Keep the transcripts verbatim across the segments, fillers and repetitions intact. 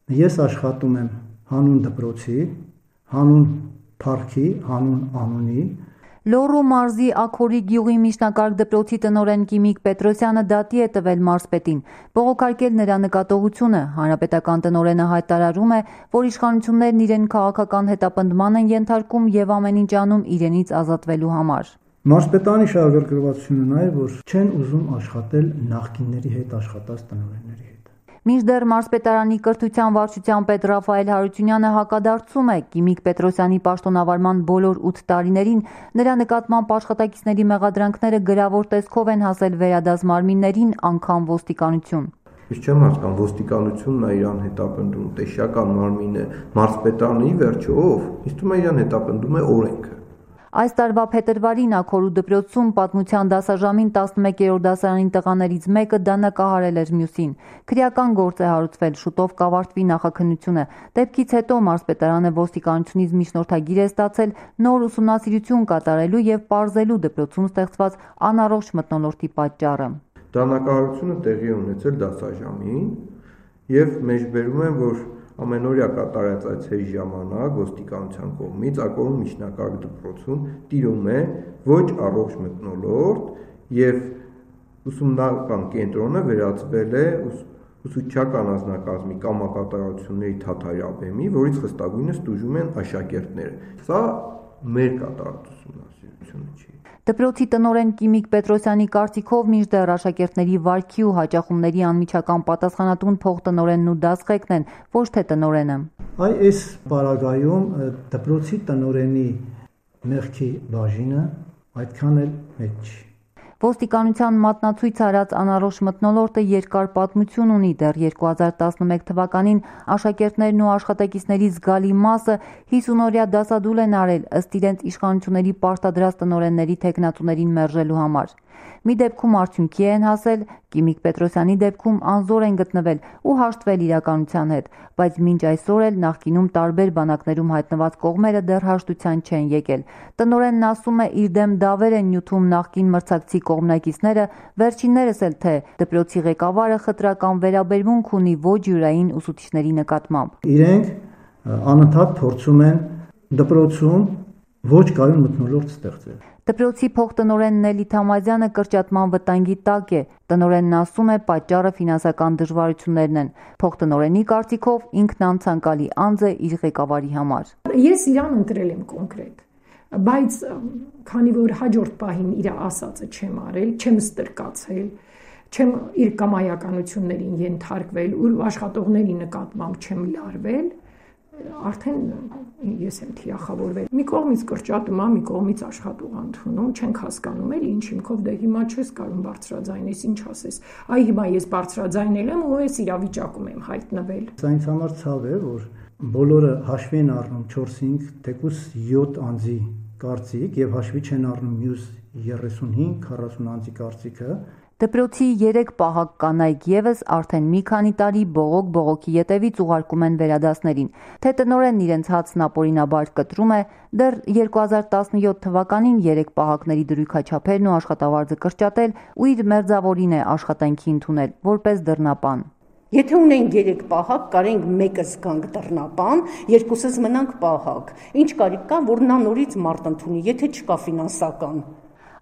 Ես աշխատում եմ հանուն դպրոցի, հանուն փառքի, հանուն անունի։ Լոռու մարզի Աքորի գյուղի միջնակարգ դպրոցի տնօրեն Կիմիկ Պետրոսյանը դատի է տվել մարզպետին, բողոքարկել նրա նկատողությունը։ Հանրապետական տնօրենը հայտարարում է, որ իշխանություններն իրեն քաղաքական հետապնդման են ենթարկում եւ ամեն ինչ անում իրենից ազատվելու համար։ Մարզպետանի շահագրգռվածությունը նա է, որ չեն ուզում աշխատել նախկինների հետ աշխատած տնօրենների հետ։ Մինչդեռ մարզպետարանի կրթության վարչության պետ Ռաֆայել Հարությունյանը հակադարձում է Կիմիկ Պետրոսյանի պաշտոնավարման բոլոր ութ տարիներին նրա նկատմամբ աշխատակիցների մեղադրանքները գրավոր տեսքով են հասել վերադաս մարմիններին, անգամ ոստիկանություն։ Ես չեմ հասկանում, ոստիկանությունն է իրան հետապնդում, տեսչական մարմինը, մարզպետարանի վերջով, ինձ թվում է իրան հետապնդում է օրենքը։ Այս տարվա փետրվարին Աքորու դպրոցում պատմության դասաժամին տասնմեկերորդ դասարանի տղաներից մեկը դանակահարել էր մյուսին։ Քրեական գործ է հարուցվել, շուտով կավարտվի նախաքննությունը։ Դեպքից հետո մարզպետարանը ոստիկանությունից միջնորդագիր է ստացել նոր ուսումնասիրություն կատարելու եւ պարզելու դպրոցում ստեղծված անառողջ մթնոլորտի պատճառը։ Դանակահարությունը տեղի է ունեցել դասաժամին եւ մեջբերում են, որ ամենօրյա կատարած այցերի ժամանակ ոստիկանության կողմից Աքորու միջնակարգ դպրոցում տիրում է ոչ առողջ մթնոլորտ եւ ուսումնական կենտրոնը վերածվել է ուսուցչական անձնակազմի կամակատարությունների թաթարաբեմի, որից խստագույնս տուժում են աշակերտները։ Սա մեր կատարած ուսումնասիրությունը չի։ Դպրոցի տնօրեն Կիմիկ Պետրոսյանի կարծիքով մինչդեռ աշակերտների վարքի ու հաճախումների անմիջական պատասխանատուն փոխտնօրենն ու դասղեկն են, ոչ թե տնօրենը։ Այ այս պարագայում դպրոցի տնօրենի մեղքի բաժինը այդքան էլ մեծ չի։ Ոստիկանության մատնացույց արած անառողջ մթնոլորտը երկար պատմություն ունի։ Դեռ երկու հազար տասնմեկ թվականին աշակերտներն ու աշխատակիցների զգալի մասը հիսունօրյա դասադուլ են արել ըստ իրենց իշխանությունների պարտադրած տնօրենների թեկնածուներին մերժելու համար։ Մի դեպքում արդյունքի են հասել, Կիմիկ Պետրոսյանի դեպքում անզոր են գտնվել ու հաշտվել իրականության հետ, բայց մինչ այսօր էլ նախկինում տարբեր բանակներում հայտնված կողմերը դեռ հաշտության չեն եկել։ Տնօրենն ասում է, իր դեմ դավեր են նյութում նախկին մրցակցի կողմնակիցները, վերջիններս էլ թե դպրոցի ղեկավարը խտրական վերաբերմունք ունի ոչ յուրային ուսուցիչների նկատմամբ։ Իրենք անընդհատ փորձում են դպրոցում ոչ կայուն մթնոլորտ ստեղծել։ Դպրոցի փոխտնօրեն Նելի Թամազյանը կրճատման վտանգի տակ է։ Տնօրենն ասում է, պատճառը ֆինանսական դժվարություններն են։ Փոխտնօրենի կարծիքով ինքն անցանկալի անձ է իր ղեկավարի համար։ Ես իրան ընտրել եմ կոնկրետ, բայց քանի որ հաջորդ պահին իր ասածը չեմ արել, չեմ ստրկացել, չեմ իր կամայականություններին ենթարկվել, ու աշխատողների նկատմամբ չեմ լարվել, արդեն ես եմ թիրախավորվել։ Մի կողմից կրճատում եմ, մի կողմից աշխատող ընդունում, չենք հասկանում էլ ինչ հիմքով, դե հիմա չես կարող բարձրաձայնես, ինչ ասես։ Այ հիմա ես բարձրաձայնել եմ ու ես իրավիճակում եմ հայտնվել։ Սա ինձ համար ցավ է, որ բոլորը հաշվի են առնում չորս-հինգ, թեկուզ յոթ անձի կարծիք եւ հաշվի չեն առնում մյուս երեսունհինգ քառասուն անձի կարծիքը։ Դպրոցի երեք պահակ կանայք եւս արդեն մի քանի տարի բողոք-բողոքի ետևից ուղարկում են վերադասներին։ Թե տնօրենն իրենց հացն ապօրինաբար կտրում է, դեռ երկու հազար տասնյոթ թվականին երեք պահակների դրույքաչափերն ու աշխատավարձը կրճատել ու իր մերձավորին է աշխատանքի ընդունել որպես դռնապան։ Եթե ունենք երեք պահակ, կարենք մեկը զգանք դռնապան, երկուսս մնանք պահակ։ Ինչ կարիք կա, որ նա նորից մարդ ընդունի, եթե չկա ֆինանսական։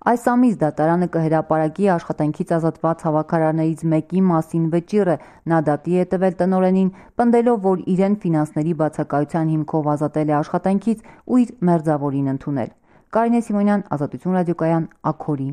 Այս ամիս դատարանը կհրապարակի աշխատանքից ազատված հավաքարարներից մեկի մասին վճիռը։ Նա դատի է տվել տնօրենին, պնդելով, որ իրեն ֆինանսների բացակայության հիմքով ազատել է աշխատանքից ու իր մերձավորին ընդունել։ Կարինե Սիմոնյան, Ազատություն ռադիոկայան, Աքորի։